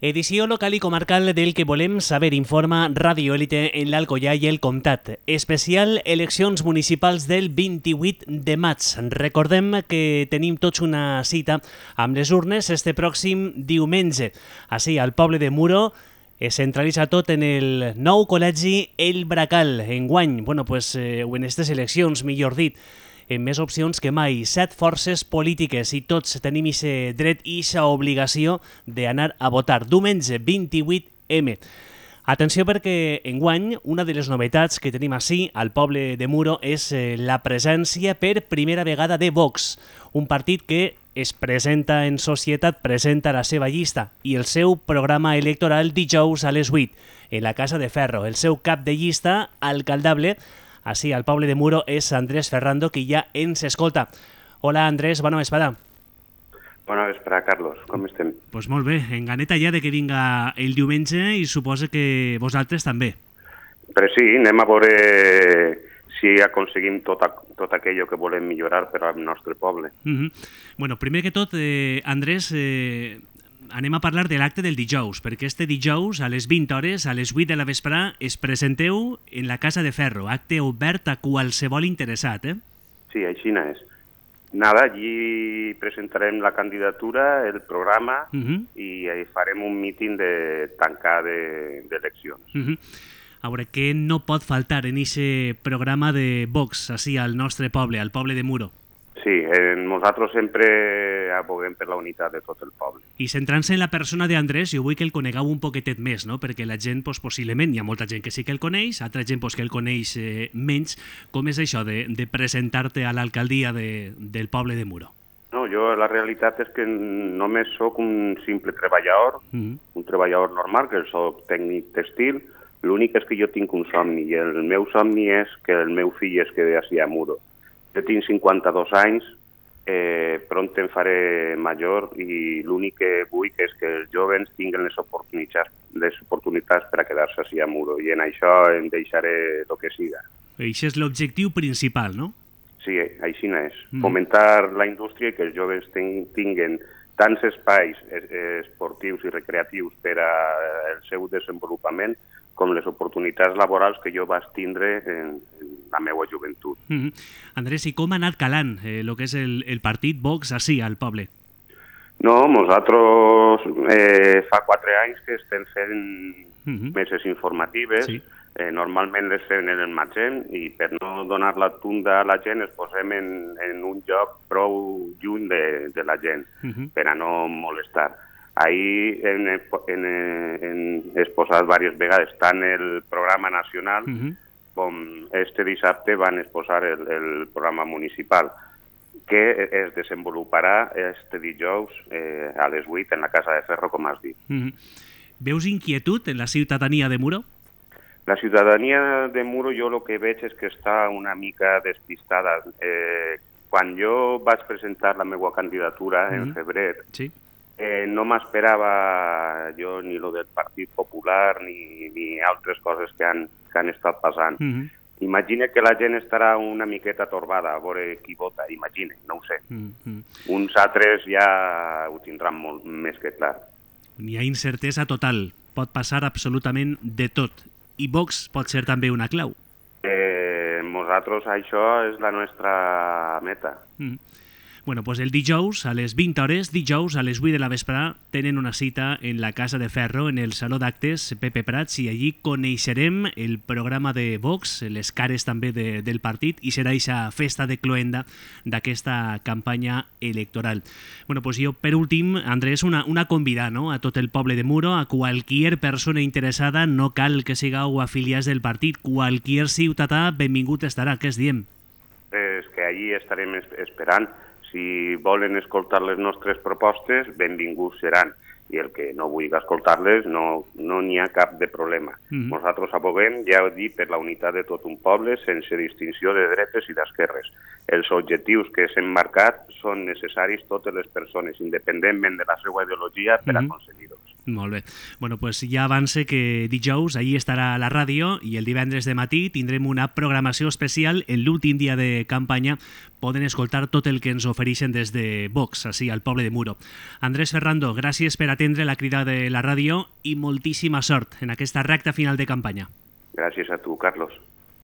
Edició local i comarcal del que volem saber informa Radio Élite en l'Alcoià i el Comtat. Especial eleccions municipals del 28 de maig. Recordem que tenim tots una cita amb les urnes este pròxim diumenge. Així, al poble de Muro es centralitza tot en el nou col·legi El Bracal. Enguany, o en aquestes eleccions, millor dit, amb més opcions que mai, 7 forces polítiques i tots tenim aquest dret i aquesta obligació d'anar a votar. Diumenge 28M. Atenció perquè enguany una de les novetats que tenim així al poble de Muro és la presència per primera vegada de Vox, un partit que es presenta en societat, presenta la seva llista i el seu programa electoral dijous a les 8 en la Casa de Ferro. El seu cap de llista, alcaldable, així, al poble de Muro, és Andrés Ferrando, que ja ens escolta. Hola, Andrés, bona vesprada. Bona vesprada, Carlos. Com estem? Pues molt bé, en ganeta ja de que vinga el diumenge i suposo que vosaltres també. Però sí, anem a veure si aconseguim tot aquello que volem millorar per al nostre poble. Bueno, primer que tot, Andrés, anem a parlar de l'acte del dijous, perquè este dijous, a les 20 hores, a les 8 de la vesprà, es presenteu en la Casa de Ferro, acte obert a qualsevol interessat, eh? Sí, així és. Nada, allí presentarem la candidatura, el programa, i farem un míting de tancar d'eleccions. A veure, què no pot faltar en aquest programa de Vox, així al nostre poble, al poble de Muro? Sí, nosaltres sempre aboguem per la unitat de tot el poble. I centrant-se en la persona d'Andrés, jo vull que el conegueu un poquetet més, no? Perquè la gent, possiblement, hi ha molta gent que sí que el coneix, altra gent que el coneix menys. Com és això de presentar-te a l'alcaldia del poble de Muro? No, jo la realitat és que només sóc un simple treballador, un treballador normal, que soc tècnic textil. L'únic és que jo tinc un somni, i el meu somni és que el meu fill es quedi així a Muro. Jo tinc 52 anys, pront em faré major i l'únic que vull és que els joves tinguin les oportunitats per a quedar-se així a Muro i en això em deixaré el que siga. Això és l'objectiu principal, no? Sí, així és. Fomentar la indústria i que els joves tinguin tants espais esportius i recreatius per al seu desenvolupament com les oportunitats laborals que jo vaig tindre en la meva joventut. Andrés, i com ha anat calant el que és el partit Vox així al poble? No, nosaltres fa 4 anys que estem fent meses informatives. Sí. Normalment les fem en el maig i per no donar la tunda a la gent es posem en un lloc prou lluny de la gent per a no molestar. Ahir hem exposat diverses vegades tant el programa nacional com este dissabte van exposar el programa municipal que es desenvoluparà este dijous a les 8 en la Casa de Ferro, com has dit. Veus inquietud en la ciutadania de Muro? La ciutadania de Muro jo el que veig és que està una mica despistada. Quan jo vaig presentar la meva candidatura en febrer, no m'esperava jo ni lo del Partit Popular ni altres coses que han estat passant. Imagina que la gent estarà una miqueta torbada a veure qui vota, imagina, no ho sé. Uns altres ja ho tindran molt més que clar. N'hi ha incertesa total, pot passar absolutament de tot. I Vox pot ser també una clau. Nosaltres això és la nostra meta. Bueno, pues el dijous a les 20 hores, dijous a les 8 de la vesprà, tenen una cita en la Casa de Ferro, en el Saló d'Actes Pepe Prats, i allí coneixerem el programa de Vox, les cares també del partit, i serà aquesta festa de cloenda d'aquesta campanya electoral. Bueno, pues jo, per últim, Andrés, una convida, no?, a tot el poble de Muro, a qualquier persona interessada, no cal que sigueu afiliats del partit, qualquier ciutadà benvingut estarà, què es diem? És que allí estarem esperant. Si volen escoltar les nostres propostes, benvinguts seran. I el que no vulgui escoltar-les, no n'hi ha cap de problema. Nosaltres aboguem, ja ho dic, per la unitat de tot un poble, sense distinció de dretes i d'esquerres. Els objectius que s'han marcat són necessaris totes les persones, independentment de la seva ideologia, per aconseguir-los. Molt bé. Bueno, pues ja avance que dijous ahir estarà a la ràdio i el divendres de matí tindrem una programació especial. En l'últim dia de campanya poden escoltar tot el que ens ofereixen des de Vox, així al poble de Muro. Andrés Ferrando, gràcies per atendre la crida de la ràdio i moltíssima sort en aquesta recta final de campanya. Gràcies a tu, Carlos.